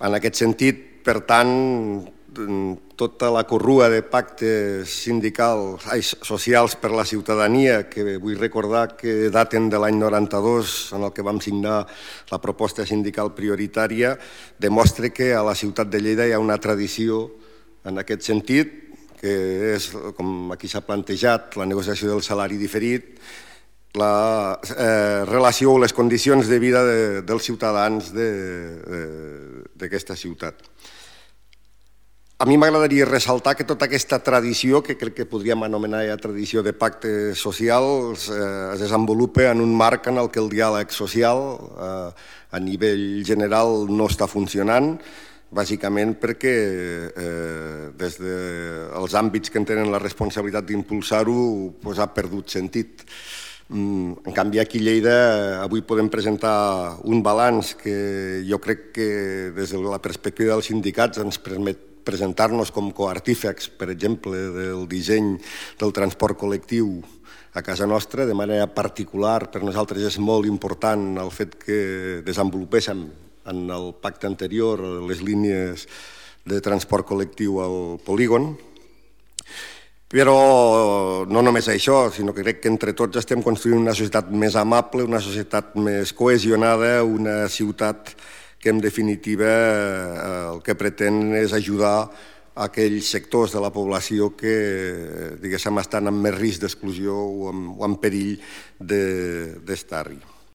En aquest sentit, per tant, tota la corrua de pactes socials per la ciutadania, que vull recordar que daten de l'any 92, en el que vam signar la proposta sindical prioritària, demostra que a la ciutat de Lleida hi ha una tradició en aquest sentit, que és, com aquí s'ha plantejat, la negociació del salari diferit, la relació o les condicions de vida dels ciutadans d'aquesta ciutat. A mi m'agradaria ressaltar que tota aquesta tradició, que crec que podríem anomenar ja tradició de pactes socials, es desenvolupa en un marc en el que el diàleg social a nivell general no està funcionant, bàsicament perquè des dels àmbits que en tenen la responsabilitat d'impulsar-ho ha perdut sentit. En canvi, aquí a Lleida avui podem presentar un balanç que jo crec que des de la perspectiva dels sindicats ens permet presentar-nos com coartífecs, per exemple, del disseny del transport col·lectiu a casa nostra. De manera particular, per nosaltres és molt important el fet que desenvolupéssim en el pacte anterior les línies de transport col·lectiu al polígon. Però no només això, sinó que crec que entre tots estem construint una societat més amable, una societat més cohesionada, una ciutat que en definitiva el que pretén és ajudar aquells sectors de la població que, diguéssim, estan en més risc d'exclusió o en perill d'estar-hi.